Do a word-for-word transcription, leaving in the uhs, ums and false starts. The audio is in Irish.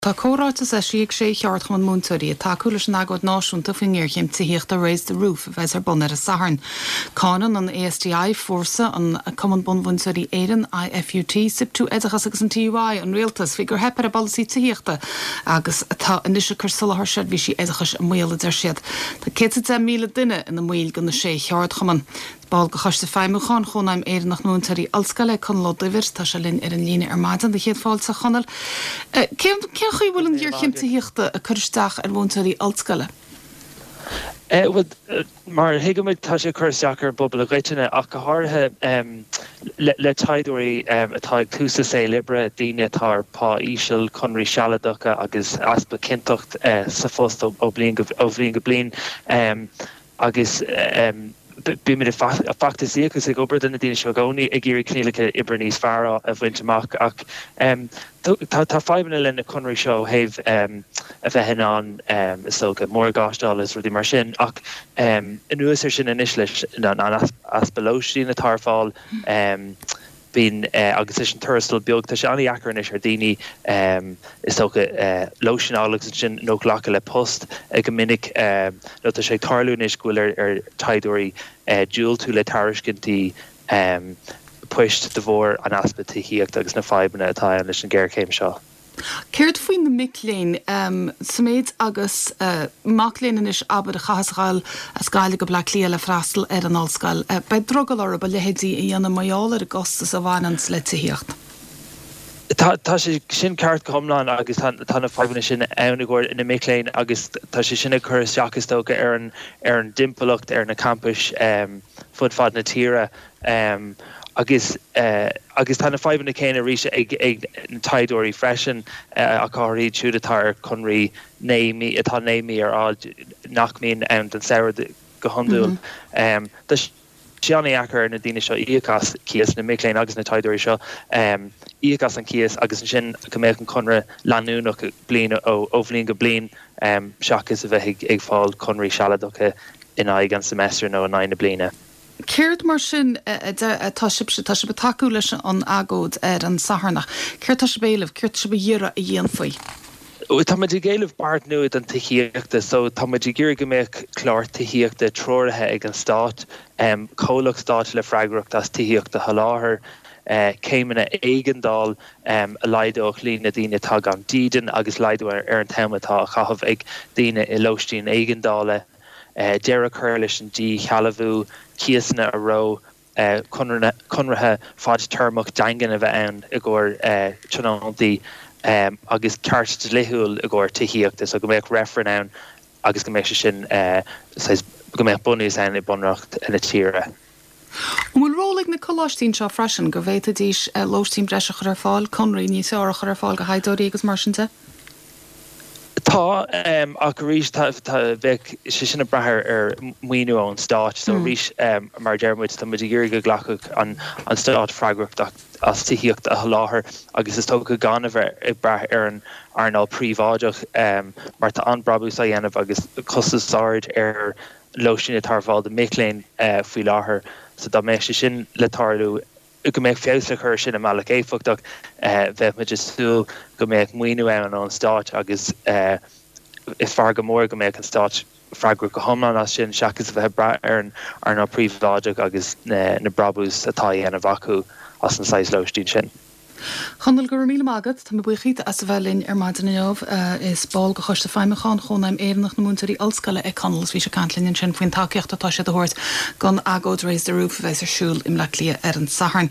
Tá comhráiteas eisithe ag sé cheardchumann múinteoirí ag tacú leis an agóid náisiúnta faoin ngéarchéim tithíochta Raise the Roof a bheas ar bun ar an Satharn. Cáineann an ASTI Fórsa an Cumann Bunmhúinteoirí Éireann IFUT, SIPTU Oideachas agus an TUI an rialtas faoi gur theip ar a bpolasaí tithíochta agus atá anois ag cur soláthar seirbhísí oideachais i mbaol a deir siad. Tá céad deich míle duine ina mbaill de na sé cheardchumann. Ball de Choiste Feidhmiúcháin Chónaidhm Éireannach na Múinteoirí Ollscoile Conall Ó Duibhir tá sé linn ar an líne ar maidin céad fáilte Chonaill. Cén cén chaoi bhfuil an ghéarchéim tithíochta ag cur isteach ar mhúinteoirí ollscoile? Eh, mar thuigimid tá sé cur isteach ar an bpobal i gcoitinne ach go háirithe um, le, le taighdeoirí um, atá ag tús a saol oibre daoine atá ar pá íseal conraí sealadacha agus easpa cinnteacht uh, sa phost ó, ó bliain go, ó bhliain go bliain um, agus um, bímid ag feachtasaíocht agus ag obair do na daoine seo i gcónaí ag iarraidh coinníollacha oibre níos fearr a bhaint amach ach um, tá tá fadhbanna le na conraí seo thaobh um, a bheith in ann um, is dócha morgáiste is rudaí mar sin ach um, anuas air sin anois leis an easpa lóistín atá ar fáil um, bíonn uh, agus is an tuarastal beag tá sé an-deacair anois ar daoine um, is dócha uh, lóistín agus sin nó glacadh le post ag go minic um, nó tá sé ag tarlú anois go bhfuil ar, ar taighdeoirí uh, diúltú le tairiscintí um, poist de bharr an easpa tithíochta agus na fadhbanna atá ann leis an géarchéim seo. Céard faoi na mic léinn um, sa méid agus uh, mac léinn anois abair a chaithfeas dul as Gaillimh go Bleá Cliath le freastal ar an ollscoil. Uh, Beidh drogall orthu a leithéidí a dhéanamh mar gheall ar an gcostas a bhaineann le tithíocht. Tá tá sé sin ceart go hiomlán agus tá na fadhbanna sin ann i gcomhair na mic léinn agus tá sé sin ag cur isteach is dócha ar an ar an dtimpeallacht ar na campais um, fud fad na tíre. Um, agus uh, agus tá na fadhbanna céanna arís ag ag na taighdeoirí freisin uh, ach iad siúd atá ar conraí naoi mí atá naoi mí ar fhad nach mbíonn ann don samhradh go hiondúil. Mm -hmm. um, sé an-deacair na daoine seo íoc as cíos na mic léinn agus na taighdeoirí seo um, íoc as an cíos agus ansin go mbeadh an conradh leanúnach bliain ó ó bhliain go bliain um, seachas a bheith ag, ag fáil conraí sealadacha in aghaidh an semester nó in aghaidh na bliana. Céard mar sin tá sibh tá sibh ag tacú leis an agóid ar an Satharn, Céard tá sibh ag éileamh, céard sibh ag iarraidh a dhéanfaí. Tá muid ag éileamh beart nua don tithíochta, so tá muid ag iarraidh go mbeadh clár tithíochta treoraithe ag an stát, um, comhlacht stáit le freagracht as tithíocht a sholáthar, uh, céimeanna éigeandála um, a laghdódh líon na daoine atá gan dídean agus laghdú ar, ar an t-am atá á chaitheamh ag daoine i lóistín éigeandála, uh, deireadh a chur leis an díshealbhú cíosanna a reo uh, conarthaí fadtéarmach daingean a bheith ann i gcomhair uh, tionóntaí um, agus ceart dlíthiúil i gcomhair tithíochta so go mbeadh reifreann ann agus go mbeadh sé sin uh, go mbeadh bunús ann i bunreacht na tíre. An bhfuil ról ag na coláistí seo freisin go bhféadfaidís lóistín breise a chur ar fáil, conraí níos fearr a chur ar fáil do thaighdeoirí agus mar sin de? Tá um, ach arís bheadh sé sin ag brath ar maoiniú ón stát so mm. arís um, mar deirmid tá muid ag iarraidh go nglacfadh an, an stát freagracht as tithíocht a sholáthar agus is dócha gan a bheith ag brath ar an earnáil príobháideach um, mar tá an-bhrabús á dhéanamh agus costas ard ar lóistín atá ar fáil do mic léinn uh, faoi láthair so dá mbeadh sé sin le tarlú go mbeadh feabhas le cur sin i mbealach éifeachtach uh, bheadh muid ag súil go mbeadh maoiniú ann ón stát agus uh, is fearr go mór go mbeadh an stát freagrach go hiomlán as sin seachas a bheith brath ar an earnáil príobháideach agus na, na brabús atá á dhéanamh acu as an saghas lóistín sin. Chonall go raibh míle maith agat tá mé buíoch as a bheith linn ar maidin inniu is ball de Choiste Feidhmiúcháin Chónaidhm Éireannach na Múinteoirí Ollscoile é Conall bhí sé ag caint linn ansin faoin tacaíocht atá sé a thabhairt don agóid Raise the Roof a bheas ar siúl i mBleá Cliath ar an Satharn.